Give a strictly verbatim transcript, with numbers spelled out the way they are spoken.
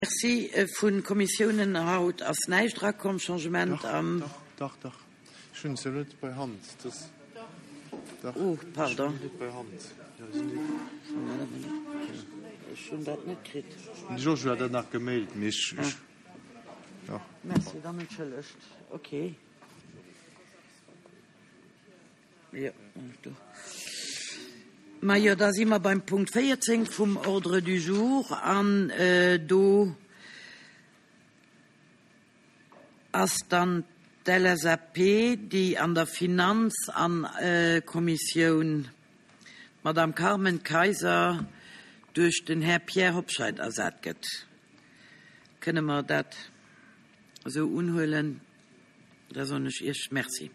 Merci. Vu Kommissiounen haut ass näischt erakomm. Changement am. Dach, dach, dach. Ech hunn se elo net bei Hand. Das, dach. Oh, pardon. Ech hunn se net bei Hand. Ja, sinn déi. Ech hunn dat net kritt. Den Joshua hat dat nach gemailt, mee ech, ech, ja. Merci, dann entschëllegt. Okay. Jo, do. Majo, da si mer beim Punkt véierzéng vum Ordre du jour an do ass dann d'L S A P, déi an der Finanz an Kommissioun d'Madame Carmen Kayser duerch den Här Pierre Hobscheit ersat gëtt. Kënne mer dat esou unhuelen? Da soen ech Iech Merci.